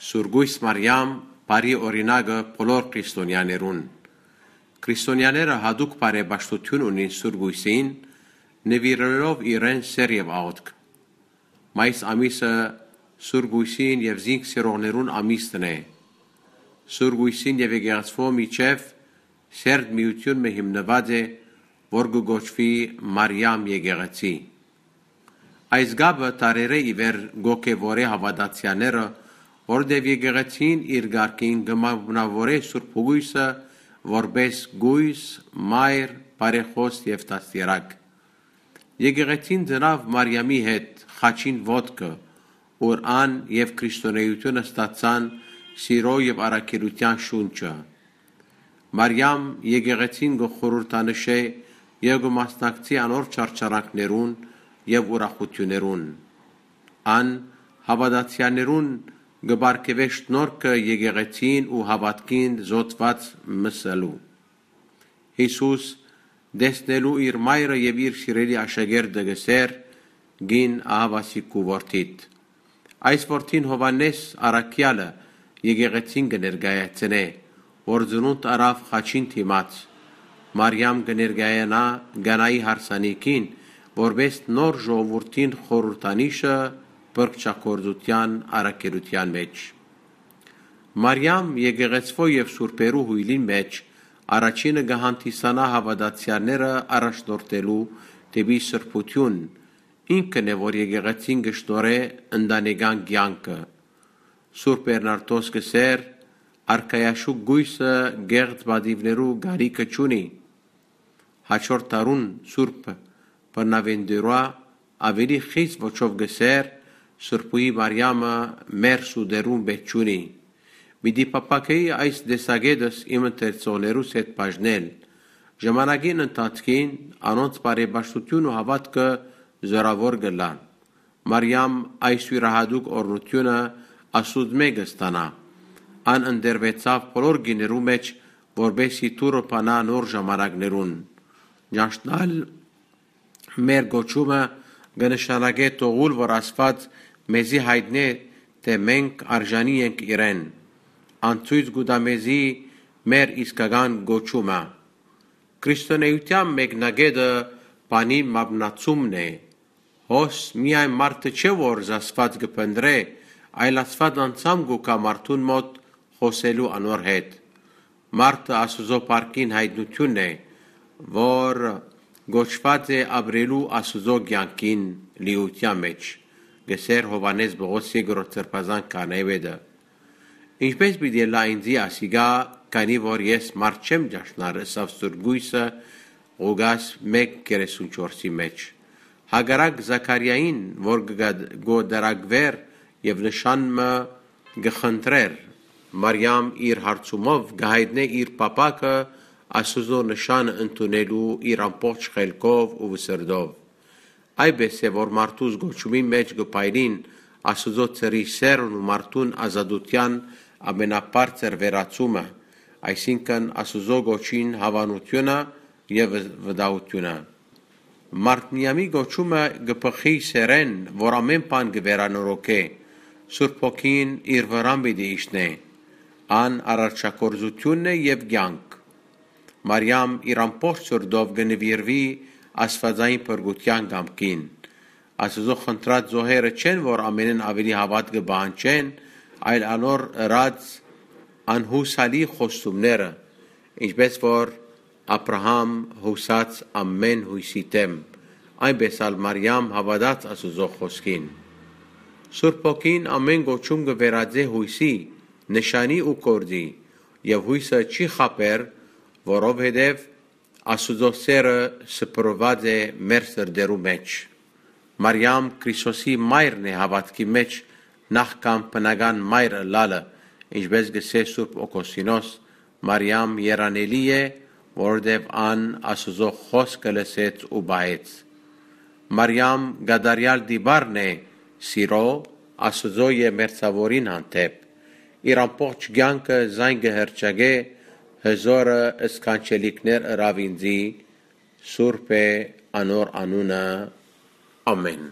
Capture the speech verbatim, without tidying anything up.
Սուրկոյս Մարիամ, բարի օրինակը բոլոր քրիստոնեաներուն։ Քրիստոնեաները յատուկ բարեպաշտութիւն ունին Սուրկոյսին, նուիրելով իրեն սէր եւ աղօթք։ Մայիս ամիսը Սուրկոյսին եւ զինք սիրողներուն ամիսն է։ Սուրկոյսին եւ եկեղեցւոյ միջեւ սերտ միութիւն մը հիմնուած է, որ կը կոչուի Մարիամ եկեղեցի։ Այս կապը դարերէ ի վեր կ'ոգեւորէ հաւատացեալները, որտեւ եկեղեցին իր կարգին կը մատնաւորէ Սուրբ Հոգոյսը որպէս կոյս, մայր, բարեխօս եւ դաստիարակ։ Եկեղեցին ծնաւ Մարիամի հետ խաչին ոտքը, ուր ան եւ քրիստոնէութիւնը ստացան սիրոյ եւ առաքելութեան շունչը։ Մարիամ եկեղեցին կը խորհրդանշէ եւ կը մասնակցի անոր չարչարանքներուն եւ ուրախութիւններուն։ Ան հաւատացեալներուն կը պարգեւէ շնորհքը եկեղեցին ու հաւատքին զոդուած մսալու։ Յիսուս, տեսնելու իր մայրը եւ իր սիրելի աշակերտը, կ'ըսէր. «Կին, ահա վասի քու որդիդ»։ Այս որդին Յովհաննէս առաքեալը եկեղեցին կը ներկայացնէ, որ ծնունդ առաւ խաչին դիմաց։ Մարիամ կը ներկայանայ Կանայի հարսանիքին, որպէս նոր ժողովուրդին խորհրդանիշը փրկչագործութեան առաքելութեան մէջ։ Մարիամ եկեղեցւոյ եւ սուրբերու հոյլին մէջ առաջինը կը հանդիսանայ հաւատացեալները առաջնորդելու դէպի սրբութիւն, ինքն է, որ եկեղեցին կը շնորհէ ընտանեկան կեանքը։ Սուրբ Բերնարդոս կ'ըսէր. «Արքայաշուք կոյսը կեղծ պատիւներու կարիքը չունի»։ Հաջորդ դարուն Սուրբ Բոնաւենտուրա աւելի խիստ ոճով կ'ըսէր. «Սրբուհի Մարիամը մեր սուտերուն պէս չունի»։ Պիտի փափաքէի այս տեսակէտս իմ ընթերցողներուս հետ բաժնել։ Ժամանակին ընթացքին անոնց բարեպաշտութիւն ու հաւատքը զօրաւոր կ'ըլլան։ Մարիամ այս իւրայատուկ օրհնութիւնը Աստուծմէ կը ստանայ։ Ան ընտրուեցաւ բոլոր կիներու մէջ, որպէս զի դուռը բանայ նոր ժամանակներուն։ Ճանչնալ մեր կոչումը կը նշանակէ թողուլ, որ Աստուած մեզի յայտնէ թէ մենք արժանի ենք իրեն։ Ան ցոյց կու տայ մեզի մեր իսկական կոչումը։ Քրիստոնէութեան մեկնակէտը բանին մատնացումն է։ Հոս միայն մարդը չէ, որ Աստուած կը փնտռէ, այլ Աստուած անձամբ կու գայ մարդուն մօտ՝ խօսելու անոր հետ։ Մարդը Աստուծոյ փառքին յայտնութիւնն է, որ կոչուած է ապրելու Աստուծոյ կեանքին լիութեան մէջ, կ'ըսէր Յովհաննէս Պօղոս երկրորդ սրբազան քահանայապետը։ «Ինչպէս պիտի ըլլայ ինծի ասիկա, քանի որ ես մարդ չեմ ճանչնար», ըսաւ Սուրբ Կոյսը Ղուկաս մէկ քերեսունչորսի մէջ։ Հակառակ Զաքարիային, որ կը գա-, կ'օտարակուէր եւ նշան մը կը խնդրէր, Մարիամ իր հարցումով կը յայտնէ իր փափաքը Աստուծոյ նշանը ընդունելու իր ամբողջ խելքով ու վսրտով։ Այնպէս է, որ մարդու զգոչումի մէջ կը փայլին Աստուծոյ ծառայ սէրն ու մարդուն ազատութեան ամենաբարձր վերածումը, այսինքն՝ Աստուծոյ կոչին հաւանութիւնը եւ վստահութիւնը։ Մարիամի կոչումը կը բխի սէրէն, որ ամէն բան կը վերանորոգէ։ Սուրբ Հոգին իր վրան պիտի իջնէ։ Ան արարչագործութիւնն է եւ կեանք։ Մարիամ իր ամբողջ սրտով կը նուիրուի աստուածային փրկութեան կամքին։ Աստուծոյ խնդրած զոհերը չեն, որ ամենէն աւելի հաւատքը պահանջեն, այլ անոր ըրած անյուսալի խոստումները, ինչպէս որ Աբրահամ յուսաց ամէն յուսի դէմ, այնպէս ալ Մարիամ հաւատաց Աստուծոյ խօսքին։ Սուրբ Հոգին ամէն կոչում կը վերածէ յուսի, նշանի ու գործի, եւ յուսը չի խաբեր, որովհետեւ Աստուծոյ սէրը սփռուած է մեր սրտերու մէջ։ Մարիամ Քրիստոսի մայրն է հաւատքի մէջ, նախքան բնական մայր ըլլալը, ինչպէս կ'ըսէ Սուրբ Օգոստինոս. «Մարիամ երանելի է, որովհետեւ ան Աստուծոյ խօսքը լսեց ու պահեց»։ Մարիամ կատարեալ տիպարն է սիրոյ, Աստուծոյ եւ մերձաւորին հանդէպ։ Իր ամբողջ կեանքը զայն կը հռչակէ հզօրը սքանչելիքներ ըրաւ ինծի, սուրբ է անոր անունը։ Ամէն։